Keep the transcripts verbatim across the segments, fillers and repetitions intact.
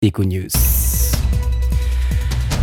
Econews.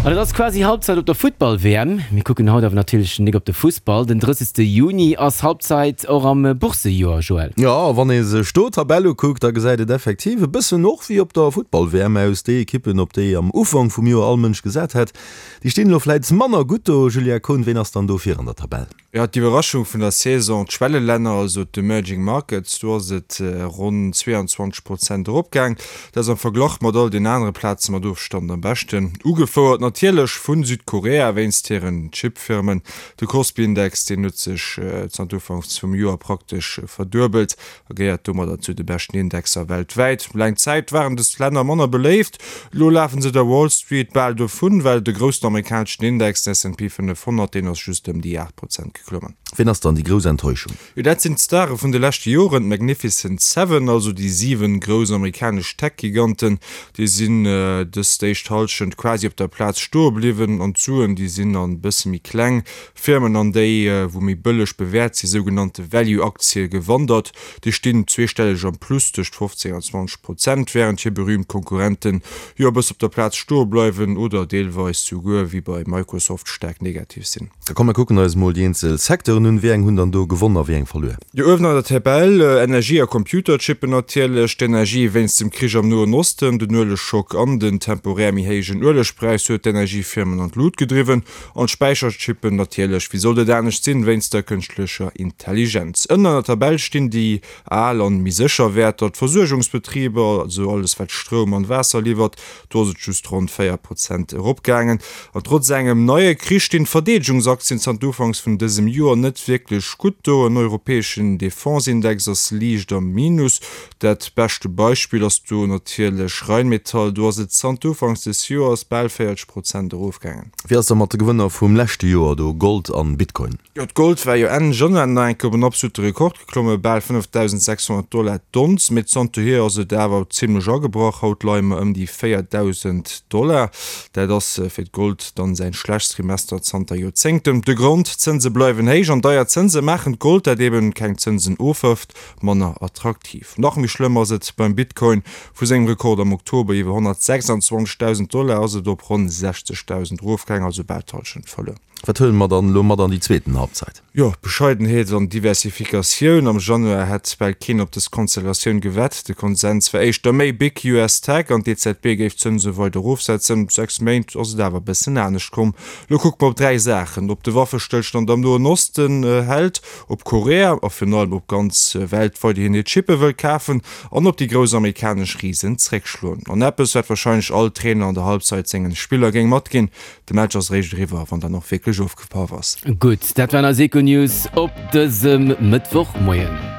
An et ass quasi Halbzeit op der Futtball-W M. Mir kucken haut awer natierlech nik op de Fussball. Den drëssegste Juni ass Halbzeit och am Boursejoer, Joël. Jo, a wann ee sech do d'Tabell ukuckt, da gesäit et effektiv e bëssen och wéi op der Futtball-W M aus. Déi Ekippen, op déi am Ufank vum Joer all Mënsch gesat hätt, déi stinn elo vläit manner gutt do. Julien Kohn, ween ass dann do vir an der Tabell? Jo, d'Iwwerraschung vun der Saison, d'Schwellelänner, also d'Emerging Markets, do ass et ronn zweeanzwanzeg Prozent eropgaang. Dat ass am Verglach mat all den anere Plaze mat Ofstand am beschten. Ugefouert natierlech vu Südkorea wéinst hiren Chip-Firmen. De Kospi-Index, deen huet sech zanter Ufanks vum Joer praktesch verduebelt a gehéiert domadder zu de beschten Indexer weltwäit. Laang Zäit waren dës Länner manner beléift, elo lafe se der Wall Street bal dovun, well de groussen amerikaneschen Index, den S and P fënnefhonnert, deen ass just ëm déi aacht Prozent geklommen. Wien ass dann déi grouss Enttäuschung? Jo, dat sinn d'Stare vun de leschte Joren, d'Magnificent Seven, also déi siwen grouss amerikanesch Tech-Giganten. Déi sinn dës d'éischt Hallschent quasi op der Plaz stoe bliwwen an d'Suen, déi sinn an bësse méi kleng Firmen an déi, wou méi bëlleg bewäert sinn, sougenannte Value-Aktie gewandert. Déi stinn zweestelleg am Plus, tëscht fofzéng an zwanzeg Prozent, wärend hir berüümt Konkurrenten jo e bësse op der Plaz stoe bleiwen oder deelweis souguer, wéi bei Microsoft, staark negativ sinn. Da komm mer kucken eis mol déi eenzel Secteuren un. Wéi eng hunn dann do gewonn a wéi eng verluer? Jo, uewen an der Tabell, Energie a Computerchippen natierlech. D'Energie wéinst dem Krich am Noen Osten, den Uelegschock an den temporär méi héijen Uelegpräis huet d'Energiefirmen an d'Lut gedriwwen. An d'Späicherchippen natierlech, wéi sollt et anescht sinn, wéinst der kënschtlecher Intelligenz. Ënnen an der Tabell stinn déi al an méi sécher Wäerter, d'Versuergungsbetriber, also alles wat Stroum an Waasser liwwert, do ass et just ronn véier Prozent eropgaangen. An trotz engem neie Krich stinn d'Verdeedegungsaktien zanter Ufanks vun dësem Joer net wierklech gutt do. En europäeschen Defense-Index ass liicht am Minus. Dat beschte Beispill ass do natierlech Rheinmetall, do ass et zanter Ufanks des Joers bal véierzeg Prozent erofgaangen. Wéi ass da mat de Gewënner vum leschte Joer do, Gold an Bitcoin? Jo, d'Gold war jo Enn Januar nach eng Kéier op en absolute Rekord geklomme, bal fënnefdausendsechshonnert Dollar d'Onz, mee zanterhier ass et awer zimmlech agebrach. Haut leie mer ëm déi véierdausend Dollar. Dat ass fir d'Gold dann säin schlechtst Trimester zanter Joerzéngten. De Grond, D'Zënse bleiwen héich an deier Zënse maachen d'Gold, dat eben keng Zënsen ofwërft, manner attraktiv. Nach méi schlëmm ass et beim Bitcoin. Vu sengem Rekord am Oktober iwwer honnertsechsandzwanzegdausend Dollar ass et op ronn sechzegdausend erofgaang, also bal d'Hallschent verluer. Wat huele mer dann elo mat an déi zweeten Halbzeit? Jo, Bescheidenheet an Diversifikatioun. Am Januar hätt bal keen op dës Konstellatioun gewett. De Konsens war éischter méi big U S Tech an d'E Z B géif d'Zënse weider erofsetzen. Sechs Méint ass et awer e bëssen anescht komm. Elo kucke mer op dräi Saachen, ob de Waffestëllstand am Noen Osten hält, ob Korea a virun allem ob d'ganz Welt weiderhin hir Chippe wëll kafen an ob déi grouss amerikanesch Risen zréckschloen. An eppes, wat warscheinlech all Trainer an der Halbzeit sengen Spiller géing matginn, De Match ass eréischt eriwwer, wann dann och wierklech ofgepaff ass. Gutt, dat waren eis Econews op dësem Mëttwochmoien.